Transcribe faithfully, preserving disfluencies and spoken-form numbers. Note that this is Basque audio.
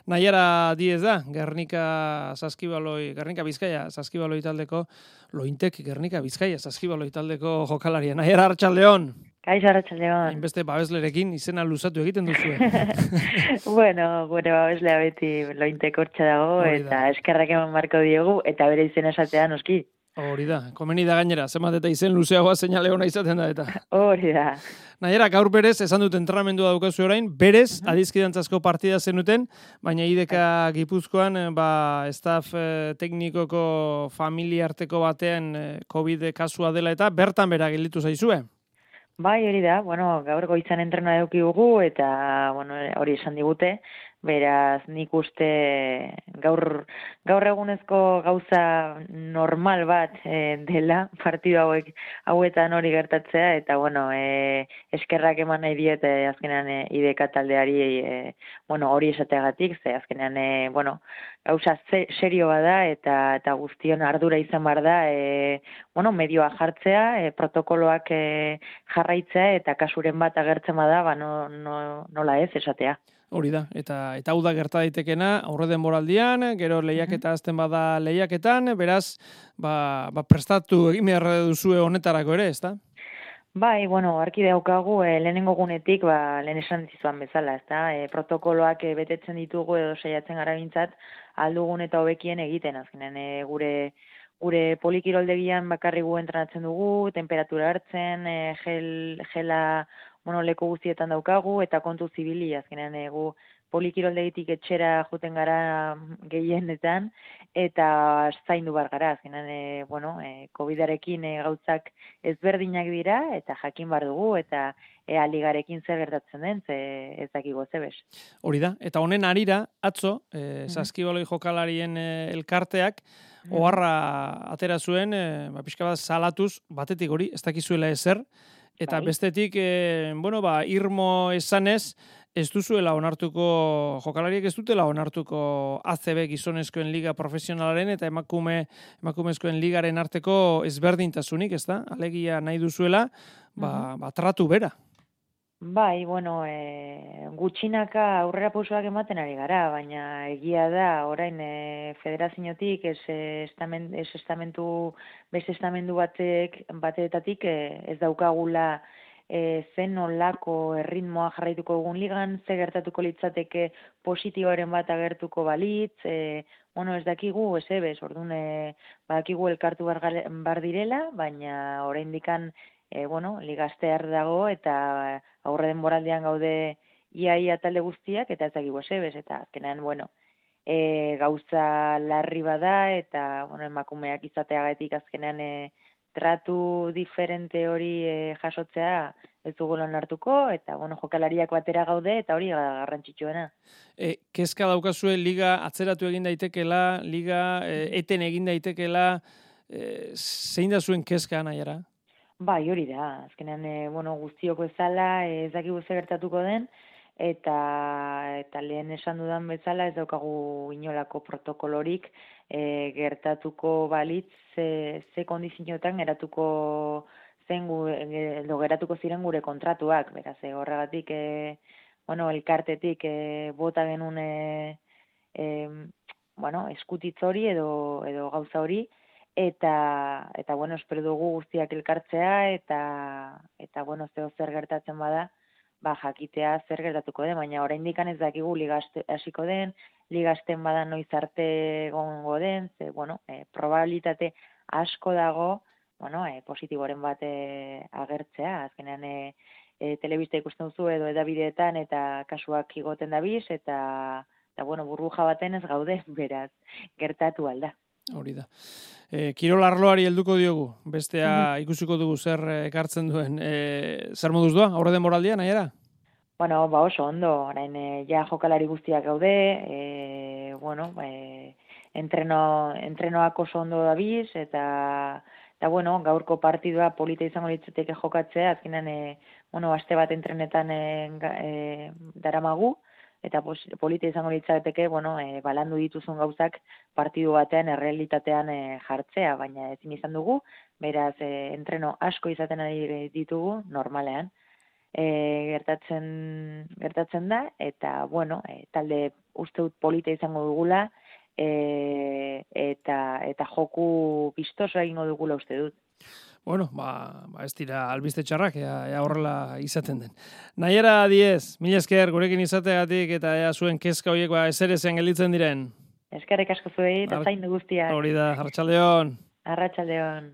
Naiara Diez da, Gernika Saskibaloi, Gernika Bizkaia Saskibaloi taldeko, Lointek Gernika Bizkaia Saskibaloi taldeko jokalaria. Naiara, arratsaldeon. Kaixo, arratsaldeon. Hainbeste babeslerekin izena luzatu egiten duzue. Bueno, gure babeslea beti Lointek hortxe dago, eta eskerrak eman marko diogu, eta bere izena esatea noski. Hori da, komeni da gainera, zenbat eta izen luzeagoa seinale ona izaten da eta. Hori da. Naiara, gaur berez, esan dut entrenamendua daukazu orain, berez, uh -huh. adizkidantzazko partida zenuten, baina I D K Gipuzkoan, ba, staff eh, teknikoko familia arteko batean eh, COVID kasua dela eta bertan bera gelditu zaizue. Bai, hori da, bueno, gaur goizan entrena eduki dugu, eta, bueno, hori esan digute, beraz, nik uste gaur, gaur egunezko gauza normal bat e, dela, partidu hauek hauetan hori gertatzea, eta, bueno, e, eskerrak eman nahi diet, e, azkenean e, I D K taldeari, e, bueno, hori esateagatik, ze azkenean, e, bueno, gauza serio bada, eta, eta guztion ardura izan behar da, e, bueno, medioa jartzea, e, protokoloak e, jarraitzea, eta kasuren bat agertzen bada, ba, no, no, nola ez esatea. Hori da, eta eta hau da gerta daitekena aurre denboraldian, gero lehiaketa azten bada lehiaketan, beraz, ba, ba prestatu egin behar duzue honetarako ere, ezta? Bai, bueno, arki daukagu e, lehenengo gunetik, ba, lehen esan zizuan bezala, ezta? E, protokoloak e, betetzen ditugu edo saiatzen gara bintzat, aldugun eta hobekien egiten, azkenean e, gure gure polikiroldegian bakarri gu entrenatzen dugu, temperatura hartzen, e, gel, gela bueno, leku guztietan daukagu, eta kontu zibili, azkenean egu polikiroldegitik etxera juten gara gehienetan, eta zaindu bar gara, azkenean, e, bueno, e, COVIDarekin e, gauzak ezberdinak dira, eta jakin bar dugu, eta ea ligarekin zer gertatzen den, ze ez dakigu zebes. Hori da, eta honen arira, atzo, e, Saskibaloi jokalarien e, elkarteak, oharra atera zuen, e, ba, pixka bat salatuz, batetik hori, ez dakizuela ezer, eta bai. Bestetik, e, bueno, ba, irmo esanez, ez duzuela onartuko, jokalariek ez dutela onartuko A C B gizonezkoen liga profesionalaren eta emakume emakumezkoen ligaren arteko ezberdintasunik, ez da? Alegia nahi duzuela, ba, uh-huh. ba tratu bera. Bai, bueno, e, gutxinaka aurrera pausoak ematen ari gara, baina egia da, orain e, federaziotik ez, estamen, ez estamentu, beste estamendu batek, bateetatik e, ez daukagula e, zen olako erritmoa jarraituko dugun ligan, ze gertatuko litzateke positiboaren bat agertuko balitz, e, bueno, ez dakigu, ez ebez, orduan, e, badakigu elkartu bar, bar direla, baina orain dikan, E, bueno, ligastear dago eta aurre denboraldian gaude iaia talde guztiak eta ez dakigu esebez, eta azkenean, bueno, e, gauza larri bada eta, bueno, emakumeak izateagatik azkenean e, tratu diferente hori e, jasotzea ez dugu lan hartuko, eta, bueno, jokalariak batera gaude eta hori garrantzitsuena. E, kezka daukazue liga atzeratu egin daitekela, liga e, eten egin daitekela, e, zein da zuen kezka, Naiara? Bai, hori da. Azkenean, e, bueno, guztioko ezala, ez dakigu ze gertatuko den, eta eta lehen esan dudan bezala ez daukagu inolako protokolorik e, gertatuko balitz ze, ze kondizioetan geratuko zen gu, edo geratuko ziren gure kontratuak, beraz, e, horregatik, e, bueno, elkartetik e, bota genuen e, e, bueno, eskutitz hori edo, edo gauza hori, Eta, eta bueno, espero dugu guztiak elkartzea, eta, eta bueno, zeo zer gertatzen bada, ba, jakitea zer gertatuko den, baina oraindik ez dakigu ligaste hasiko den, ligasten bada noiz arte gongo den, ze, bueno, e, probabilitate asko dago, bueno, e, positiboren bat e, agertzea, azkenean e, e, telebista ikusten duzu edo edabideetan, eta kasuak igoten dabiz, eta, eta bueno, burbuja baten ez gaude, beraz, gertatu alda. Hori da. E, Kirol arloari helduko diogu, bestea ikusiko dugu zer ekartzen duen. E, zer moduz doa, aurre denboraldia, Naiara? Bueno, ba oso ondo, orain e, ja jokalari guztiak gaude, e, bueno, e, entreno, entrenoak oso ondo dabiz, eta, eta bueno, gaurko partidua polita izango litzateke jokatzea, azkenan, e, bueno, aste bat entrenetan e, e, daramagu, eta polita izango litzateke, bueno, e, balandu dituzun gauzak partidu batean errealitatean e, jartzea, baina ezin izan dugu, beraz e, entreno asko izaten ari ditugu normalean. E, gertatzen gertatzen da, eta bueno, e, talde uste dut polita izango dugula, e, eta, eta joku bistoso egingo dugula uste dut. Bueno, ba, ba ez dira albiste txarrak, ea, ea horrela izaten den. Naiara Diez, mila esker gurekin izateagatik eta ea zuen kezka horiek ba ezerezen gelditzen diren. Eskerrik asko zuei, eta zaindu guztiak. Hori da, arratsaldeon. Arratsaldeon.